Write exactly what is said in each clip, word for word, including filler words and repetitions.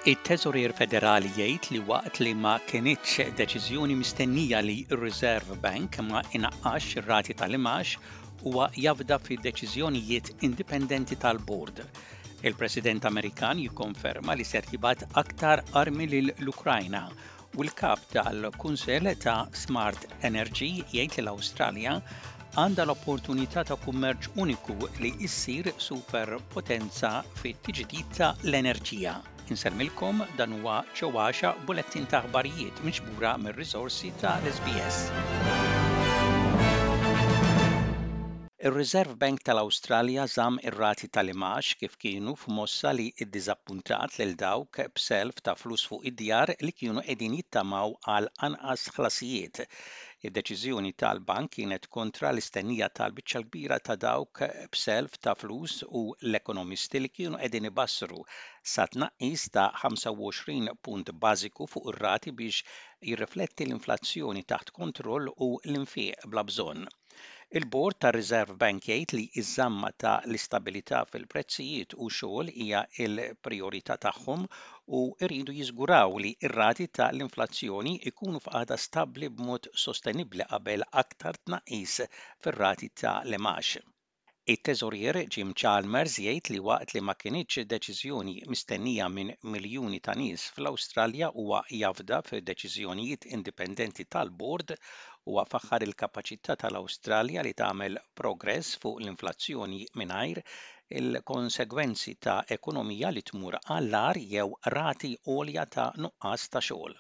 It-Teżorier Federali jgħid li waqt li ma kinitx deċiżjoni mistennija li r-Reserve Bank ma inaqqax ir-rati tal-imgħax, huwa jafda fi deċiżjonijiet indipendenti tal-bord. Il-President Amerikan jikkonferma li ser jibgħat aktar armi lill-Ukrajna u l-kap tal-Kunsell ta' Smart Energy jgħid li l-Awstralja għandha l-opportunità ta' kummerċ uniku li issir superpotenza fit-tiġdid ta' l-enerġija. Insellmilkom, dan huwa ċewwaxa bulettin ta' aħbarijiet miġbura mir-riżorsi ta' l-S B S. Ir-Reserve Bank tal-Awstralja żamm ir-rati tal-imgħax kif kienu f'mossa li iddiżappuntat lil dawk b'self ta' flus fuq id-djar li kienu qegħdin jittamaw għal anqas ħlasijiet. Id-deċiżjoni tal-bank kienet kontra l-istennija tal-biċċa kbira ta' dawk b'self ta' flus u l-ekonomisti li kienu qegħdin ibassru sa tnaqqis ta' ħamsa u għoxrin punt bażiku fuq ir-rati biex jirrifletti l-inflazzjoni taħt kontroll u l-infiq bla bżonn. Il-Bord tar-Reserve Bank jgħid li ż-żamma ta' l-istabilità fil-prezzijiet u xogħol hija l-priorità tagħhom u jridu jiżguraw li r-rati ta' l-inflazzjoni jkunu f'qagħda stabbli b'mod sostenibbli qabel aktar tnaqqis fir-rati ta' l-imgħax. It-teżorier Jim Chalmers jgħid li waqt li ma kinitx deċiżjoni mistennija minn miljuni ta' nies fl-Awstralja, huwa jafda f'deċiżjonijiet indipendenti tal-bord u faħħar il-kapaċità tal-Awstralja li tagħmel progress fuq l-inflazzjoni mingħajr il-konsegwenzi ta' ekonomija li tmur għall-agħar jew rati għolja ta' nuqqas ta' xogħol.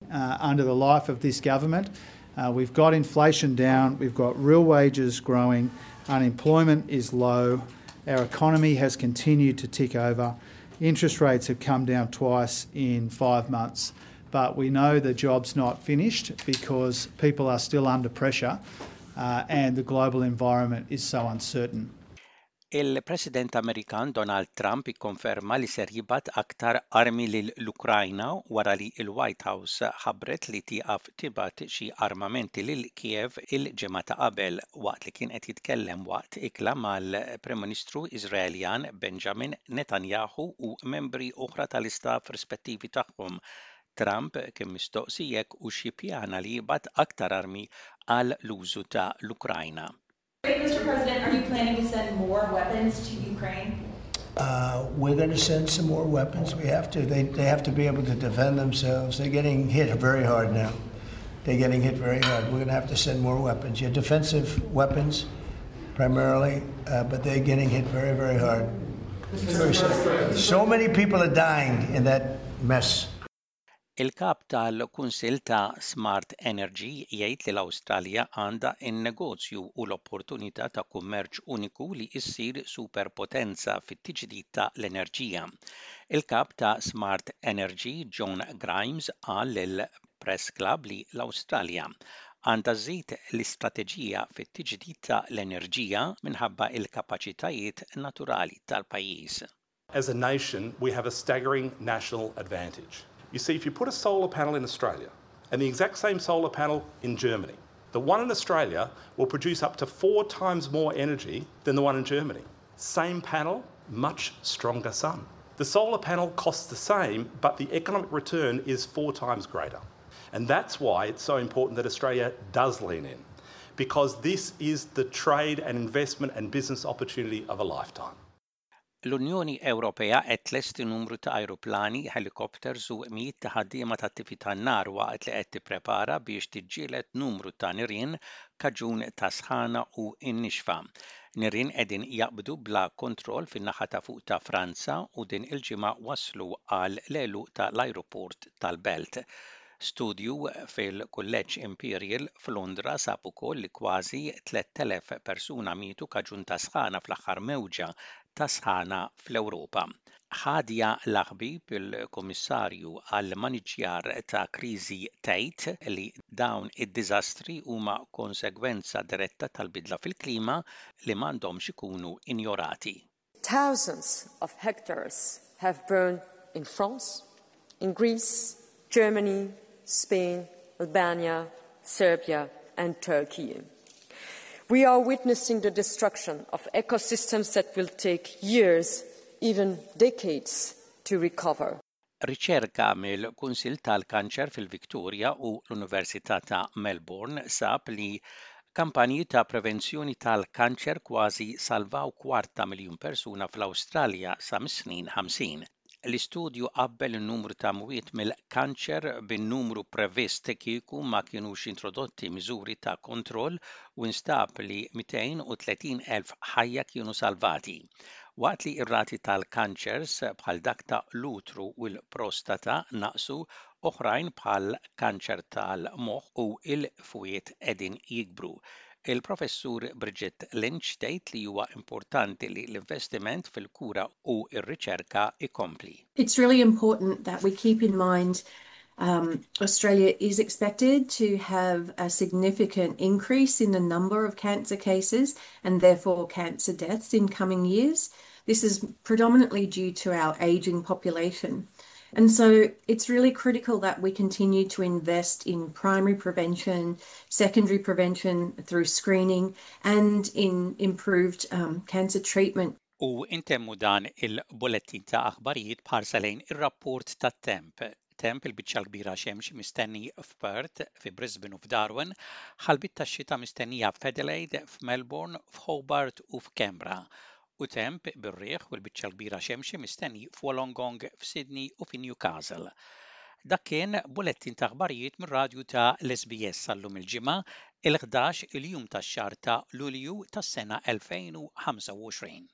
Uh, under the life of this government, uh, we've got inflation down, we've got real wages growing, unemployment is low, our economy has continued to tick over, interest rates have come down twice in five months. But we know the job's not finished because people are still under pressure uh, and the global environment is so uncertain. Il-President Amerikan Donald Trump ikkonferma li ser jibgħat aktar armi lill-Ukrajna wara li l-White House ħabbret li tieqaf tibgħat xi armamenti lil Kiev il-ġimgħa ta' qabel. Waqt li kien qed jitkellem waqt ikla mal-Prim Ministru Iżraeljan Benjamin Netanyahu u membri oħra tal-istaff rispettivi tagħhom, Trump kien mistoqsi jekk hux jippjana li jibgħat aktar armi għal l-użu ta' l-Ukrajna. Mister President, are you planning to send more weapons to Ukraine? Uh, we're going to send some more weapons. We have to. They, they have to be able to defend themselves. They're getting hit very hard now. They're getting hit very hard. We're going to have to send more weapons. Yeah, defensive weapons primarily, uh, but they're getting hit very, very hard. It's very sad. So many people are dying in that mess. Il-kap tal-Kunsill ta' Smart Energy jgħid li l-Awstralja għandha n-negozju u l-opportunità ta' kummerċ uniku li issir superpotenza fit-tiġdid ta' l-enerġija. Il-kap ta' Smart Energy John Grimes qal lil Press Club li l-Awstralja għandha żżid l-istrateġija fit-tiġdid ta' l-enerġija minħabba il-kapaċitajiet naturali tal-pajjiż. As a nation, we have a staggering national advantage. You see, if you put a solar panel in Australia and the exact same solar panel in Germany, the one in Australia will produce up to four times more energy than the one in Germany. Same panel, much stronger sun. The solar panel costs the same, but the economic return is four times greater. And that's why it's so important that Australia does lean in, because this is the trade and investment and business opportunity of a lifetime. L-Unjoni Ewropea qed tlesti numru ta' ajruplani, helikopters u mijiet ta' ħaddiema tat-tifi tan-nar waqt li qed tipprepara biex tiġġieled numru ta' nirien kaġun ta' sħana u n-nixfa. Nirien qegħdin jaqbdu bla kontroll fin-naħa ta' fuq ta' Franza u din il-ġimgħa waslu għal l-għeluq tal-ajruport tal-Belt. Studju fil-Kulleġġ Imperial f'Londra sab ukoll li kważi tlett elef persuna mietu kaġun ta' sħana fl-aħħar mewġa ta' sħana fl-Ewropa. Hadja Lahbib, il-Kummissarju għall-Maniġjar ta' Kriżi, tgħid li dawn id-diżastri huma konsegwenza diretta tal-bidla fil-klima li m'għandhomx ikunu injorati. Thousands of hectares have burned in France, in Greece, Germany, Spain, Albania, Serbia, and Turkey. We are witnessing the destruction of ecosystems that will take years, even decades, to recover. Riċerka mill-Kunsill tal-Kanċer fil-Victoria u l-Università ta' Melbourne sab li kampanji ta' prevenzjoni tal-kanċer kważi salvaw kwart ta' miljun persuna fl-Awstralja sa mis-snin ħamsin. L-istudju qabbel in-numru ta' mwiet mill-kanċer bin-numru previst kieku ma kienux introdotti miżuri ta' kontroll u instab li mitejn u tletin elf ħajja kienu salvati. Waqt li ir-rati tal-kanċers bħal dak ta' l-utru u l-prostata naqsu, oħrajn bħal kanċer tal-moħħ u il-fwiet qegħdin jikbru. Il-Professur Bridget Lynch tgħid li huwa importanti li l-investiment fil-kura u r-riċerka ikompli. It's really important that we keep in mind um, Australia is expected to have a significant increase in the number of cancer cases and therefore cancer deaths in coming years. This is predominantly due to our aging population. And so it's really critical that we continue to invest in primary prevention, secondary prevention through screening, and in improved um, cancer treatment. U intemmu dan il-bullettin ta' aħbarijiet b'ħarsa lejn ir-rapport tat-temp. Temp il-biċċa kbira xemx mistenni f'Perth, fi Brisbane u f'Darwin, ħalbiet tax-xita mistennija f'Adelaide, f'Melbourne, f'Hobart u f'Canberra, u temp bir-riħ u l-biċċa kbira xemxi mistenni f'Wollongong, f'Sydney u fi Newcastle. Dak kien bullettin ta' aħbarijiet mir-radju ta' l-S B S sal-lum il-Ġimgħa, il-ħdax il-jum tax-xahar ta' Lulju tas-sena elfejn u ħamsa u għoxrin.